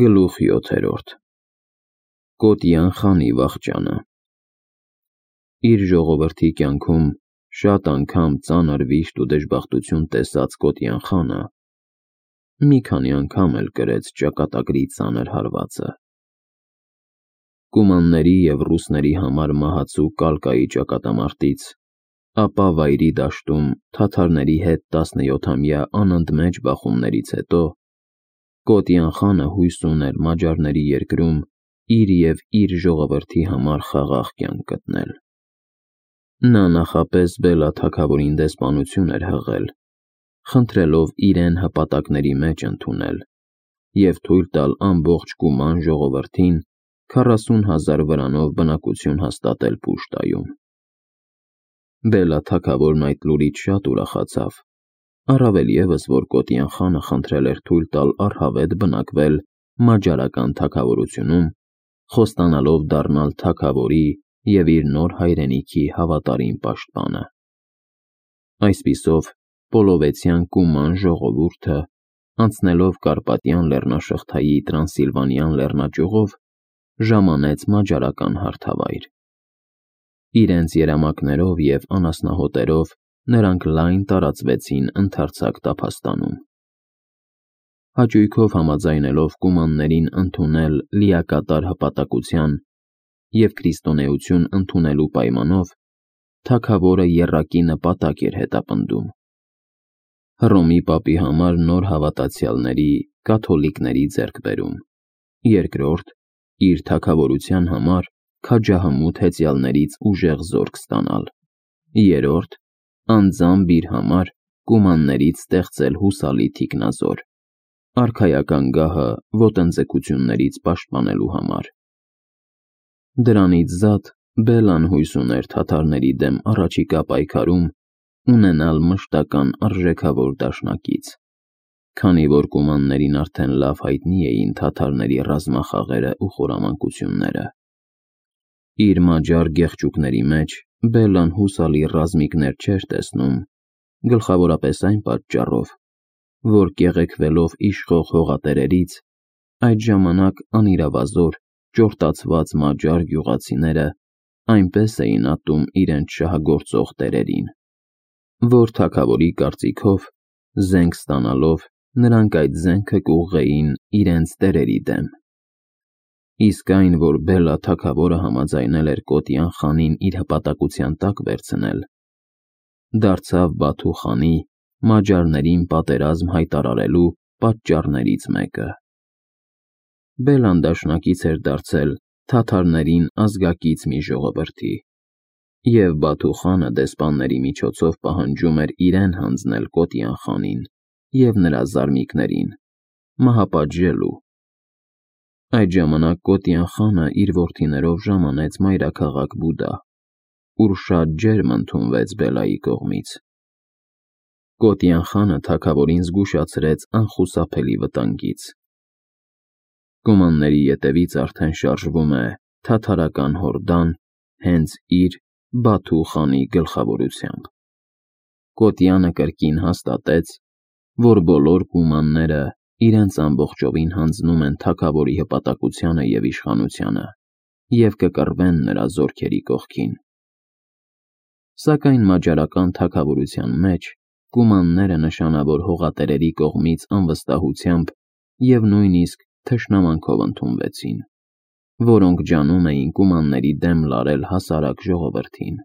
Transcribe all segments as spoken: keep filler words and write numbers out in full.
Գլուխ յոթերորդ Կոտյան խանի վախճանը Իր ժողովրդի կյանքում շատ անգամ ծանր վիշտ ու դժբախտություն տեսած Կոտյան խանը մի քանի անգամ էլ կրեց ճակատագրի ծանր հարվածը։ Կումանների և ռուսների համար մահացու Կալկայի ճակատամարտից, ապա Վայրի դաշտում թաթարների հետ տասնյոթամյա անընդմեջ բախումներից հետո Կոտյան խանը հույս ուներ մաջարների երկրում իր և իր ժողովրդի համար խաղաղ կյանք գտնել։ Նա նախապես Բելա թագավորին դեսպանություն էր հղել, խնդրելով իրեն հպատակների մեջ ընդունել և թույլ տալ ամբողջ Կուման ժողովրդին քառասուն հազար վրանով բնակություն հաստատել Պուշտայում։ Բելա թագավորն այդ լուրից շատ ուրախացավ, առավել ևս, որ Կոտյան խանը խնդրել էր թույլ տալ առհավետ բնակվել մաջարական թագավորությունում, խոստանալով դառնալ թագավորի և իր նոր հայրենիքի հավատարիմ պաշտպանը։ Այսպիսով, Պոլովեցյան Կուման ժողովուրդը, անցնելով Կարպատյան լեռնաշղթայի Տրանսիլվանյան լեռնաճյուղով, ժամանեց մաջարական հարթավայր։ Իրենց երամակներով և անասնահոտերով նրանք լայն տարածվեցին ընդարձակ տափաստանում։ Հաճույքով համաձայնելով կումաններին ընդունել լիակատար հպատակության և քրիստոնեություն ընդունելու պայմանով, թագավորը եռակի նպատակ էր հետապնդում՝ Հռոմի պապի համար նոր հավատացյալների՝ կաթոլիկների ձեռքբերում, երկրորդ՝ իր թագավորության համար քաջահմուտ հեծյալներից ուժեղ զորք ստանալ, երրորդ՝ անձամբ իր համար կումաններից ստեղծել հուսալի թիկնազոր՝ արքայական գահը ոտնձգություններից պաշտպանելու համար։ Դրանից զատ Բելան հույս ուներ թաթարների դեմ առաջիկա պայքարում ունենալ մշտական արժեքավոր դաշնակից, քանի որ կումաններին արդեն լավ հայտնի էին թաթարների ռազմախաղերն ու խորամանկությունները։ Իր մաջար գեղչուկների մեջ Բելլան հուսալի ռազմիկներ չէր տեսնում, գլխավորապես այն պատճառով, որ կեղեքվելով իշխող հողատերերից, այդ ժամանակ անիրավազոր, ճորտացված մաջար գյուղացիները այնպես էին ատում իրենց շահագործող տերերին, որ թագավորի կարծիքով, զենք ստանալով, նրանք այդ զենքը կուղղեին իրենց տերերի դեմ։ Իսկ այն, որ Բելա թագավորը համաձայնել էր Կոտյան խանին իր հպատակության տակ վերցնել, դարձավ Բաթու խանի մաջարներին պատերազմ հայտարարելու պատճառներից մեկը։ Բելլան դաշնակից էր դարձել թաթարներին ազգակից մի ժողովրդի, և Բաթու խանը դեսպանների միջոցով պահանջում էր իրեն հանձնել Կոտյան խանին և նրա զարմիկներին՝ մահապատժելու։ Այդ ժամանակ Կոտյան խանը իր որդիներով ժամանեց մայրաքաղաք Բուդա, ուր շատ ջերմ ընդունվեց Բելայի կողմից։ Կոտյան խանը թագավորին զգուշացրեց անխուսափելի վտանգից։ Կումանների ետևից արդեն շարժվում է թաթարական հորդան հենց իր՝ Բաթու խանի գլխավորությամբ։ Կոտյանը կրկին հաստատեց, որ բոլոր կումանները իրենց ամբողջովին հանձնում են թագավորի հպատակությանը և իշխանությանը և կկռվեն նրա զորքերի կողքին։ Սակայն մաջարական թագավորության մեջ կումանները նշանավոր հողատերերի կողմից անվստահությամբ և նույնիսկ թշնամանքով ընդունվեցին, որոնք ջանում էին կումանների դեմ լարել հասարակ ժողովրդին։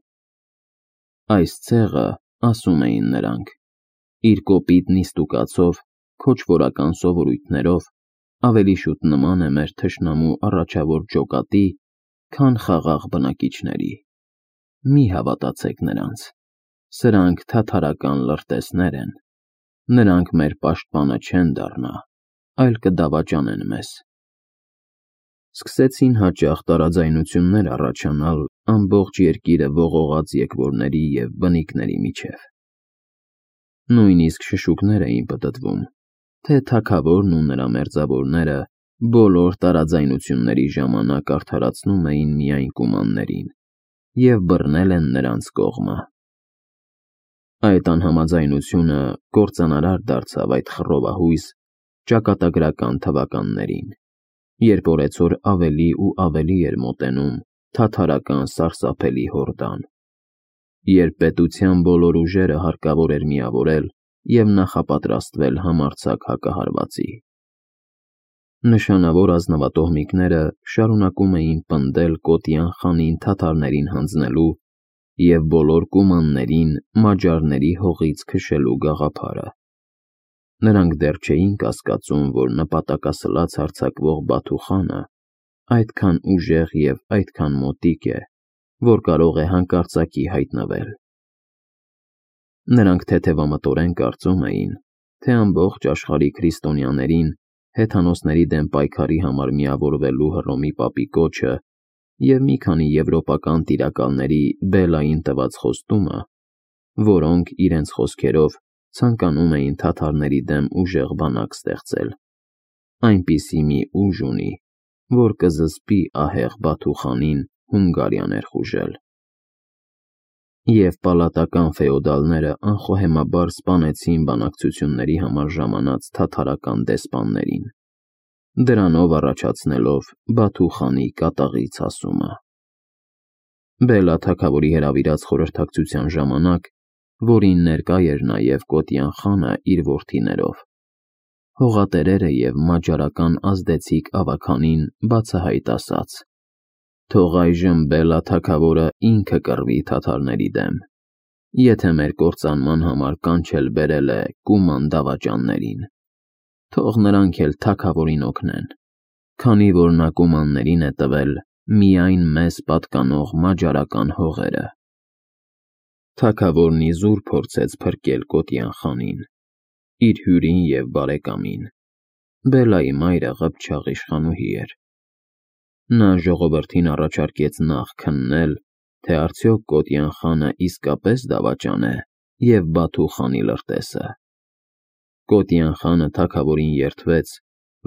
Այս ցեղը, ասում էին նրանք, իր կոպիտ նիստուկացով, քոչվորական սովորույթներով ավելի շուտ նման է մեր թշնամու առաջավոր ջոկատի, քան խաղաղ բնակիչների։ Մի հավատացեք նրանց, սրանք թաթարական լրտեսներ են, նրանք մեր պաշտպանը չեն դառնա, այլ կդավաճանեն մեզ։ Սկսեցին հաճախ տարաձայնություններ առաջանալ ամբողջ երկիրը ողողած եկվորների և բնիկների միջև։ Նույնիսկ շշուկներ էին պտտվում, թե թագավորն ու նրա մերձավորները բոլոր տարաձայնությունների ժամանակ արդարացնում էին միայն կումաններին և բռնել են նրանց կողմը։ Այդ անհամաձայնությունը կործանարար դարձավ այդ խռովահույս ճակատագրական թվականներին։ երբ օրեցօր ավելի ու ավելի էր մոտենում թաթարական սարսափելի հորդան, երբ պետության բոլոր ուժերը հարկավոր էր միավորել և նախապատրաստվել համարձակ հակահարվածի։ Նշանավոր ազնվատոհմիկները շարունակում էին պնդել Կոտյան խանին թաթարներին հանձնելու և բոլոր կումաններին մաջարների հողից քշելու գաղափարը։ Նրանք դեռ չէին կասկածում, որ նպատակասլաց հարձակվող Բաթու խանը այդքան ուժեղ և այդքան մոտիկ է, որ կարող է հանկարծակի հայտնվել։ Նրանք թեթևամտորեն կարծում էին, թե ամբողջ աշխարհի քրիստոնյաներին հեթանոսների դեմ պայքարի համար միավորվելու Հռոմի պապի կոչը և մի քանի եվրոպական տիրակալների Բելային տված խոստումը, որոնք, իրենց խոսքերով, ցանկանում էին թաթարների դեմ ուժեղ բանակ ստեղծել, այնպիսի մի ուժ ունի, որ կզսպի ահեղ Բաթու խանին Հունգարիա ներխուժել։ Եվ պալատական ֆեոդալները անխոհեմաբար սպանեցին բանակցությունների համար ժամանած թաթարական դեսպաններին, դրանով առաջացնելով Բաթու խանի կատաղի ցասումը։ Բելա թագավորի հրավիրած խորհրդակցության ժամանակ, որին ներկա էր նաև Կոտյան խանը իր որդիներով, հողատերերը և մաջարական ազդեցիկ ավագանին բացահայտ ասաց. «Թող այժմ Բելա թագավորը ինքը կռվի թաթարների դեմ, եթե մեր կործանման համար կանչել բերել է կուման դավաճաններին, թող նրանք էլ թագավորին օգնեն, քանի որ նա կումաններին է տվել միայն մեզ պատկանող մաջարական հողերը»։ Թագավորն իզուր փորձեց փրկել Կոտյան խանին, իր հյուրին և բարեկամին։ Բելայի մայրը ղփչաղ իշխանուհի էր։ Նա ժողովրդին առաջարկեց նախ քննել, թե արդյոք Կոտյան խանը իսկապես դավաճան է և Բաթու խանի լրտեսը։ Կոտյան խանը թագավորին երդվեց,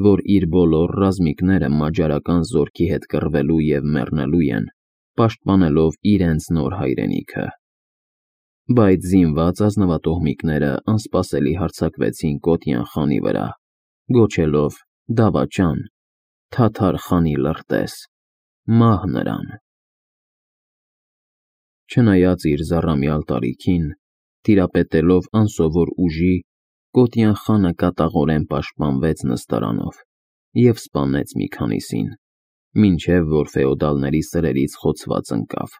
որ իր բոլոր ռազմիկները մաջարական զորքի հետ կռվելու և մեռնելու են, պաշտպանելով իրենց նոր հայրենիքը։ Բայց զինված ազնվատոհմիկները անսպասելի հարձակվեցին Կոտյան խանի վրա, գոչելով. «Դավաճան, թաթար խանի լրտես, մահ նրան»։ Չնայած իր զառամյալ տարիքին, տիրապետելով անսովոր ուժի, Կոտյան խանը կատաղորեն պաշտպանվեց նստարանով և սպանեց մի քանիսին, մինչև որ ֆեոդալների սրերից խոցված ընկավ։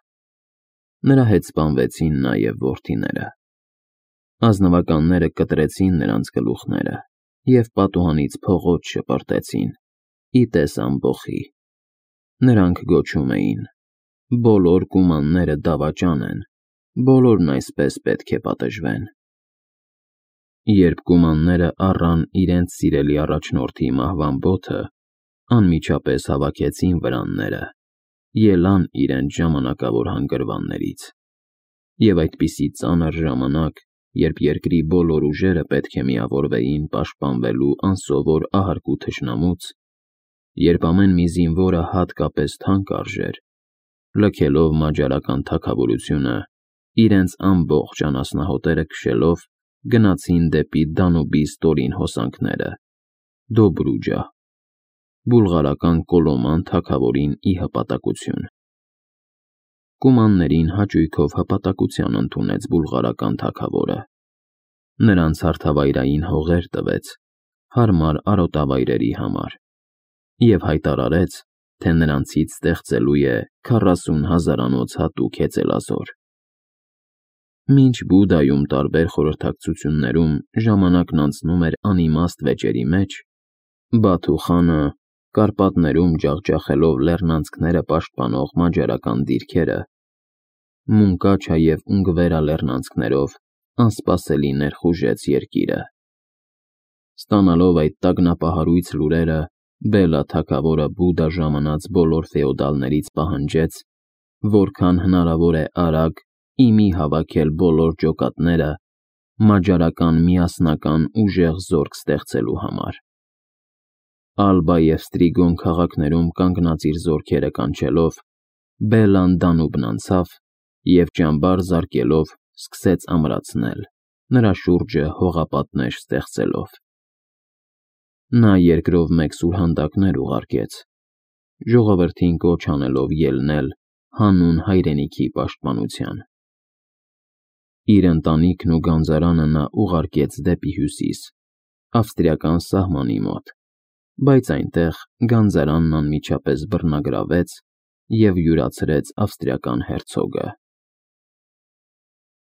Նրա հետ սպանվեցին նաև որդիները։ Ազնվականները կտրեցին նրանց գլուխները և պատուհանից փողոց շպրտեցին, ի տես ամբոխի։ Նրանք գոչում էին. «Բոլոր կումանները դավաճան են, բոլորն այսպես պետք է պատժվեն»։ Երբ կումանները առան իրենց սիրելի առաջնորդի մահվան բոթը, անմիջապես հավաքեցին վրանները, ելան իրենց ժամանակավոր հանգրվաններից։ Եվ այդպիսի ծանր ժամանակ, երբ երկրի բոլոր ուժերը պետք է միավորվեին պաշտպանվելու անսովոր ահարկու թշնամուց, երբ ամեն մի զինվորը հատկապես թանկ արժեր, լքելով մաջարական թագավորությունը, իրենց ամբողջ անասնահոտերը քշելով, գնացին դեպի Դանուբի ստորին հոսանքները՝ Դոբրուջա, բուլղարական Կոլոման թագավորին ի հպատակություն։ Կումաններին հաճույքով հպատակության ընդունեց բուլղարական թագավորը։ Նրանց հարթավայրային հողեր տվեց հարմար արոտավայրերի համար և հայտարարեց, թե նրանցից ստեղծելու է քառասուն հազարանոց հատուկ հեծելազոր։ Մինչ Բուդայում տարբեր խորհրդակցություններում ժամանակն անցնում էր անիմաստ վեճերի մեջ, Բաթու խանը, Կարպատներում ջախջախելով լեռնանցքները պաշտպանող մաջարական դիրքերը, Մունկաչա և Ունգվերա լեռնանցքներով անսպասելի ներխուժեց երկիրը։ Ստանալով այդ տագնապահարույց լուրերը, Բելա թագավորը Բուդա ժամանած բոլոր ֆեոդալներից պահանջեց, որքան հնարավոր է արագ ի մի հավաքել բոլոր ջոկատները մաջարական միասնական ուժեղ զորք ստեղծելու համար։ Ալբա և Ստրիգոն քաղաքներում կանգնած իր զորքերը կանչելով, Բելան Դանուբն անցավ և ճամբար զարկելով սկսեց ամրացնել, նրա շուրջը հողապատնեշ ստեղծելով։ Նա երկրով մեկ սուրհանդակներ ուղարկեց, ժողովրդին կոչ անելով ելնել հանուն հայրենիքի պաշտպանության։ Իր ընտանիքն ու գանձարանը նա ուղարկեց դեպի հյուսիս, ավստրիական սահմանի մոտ, բայց այնտեղ գանձարանն անմիջապես բռնագրավեց և յուրացրեց ավստրիական հերցոգը։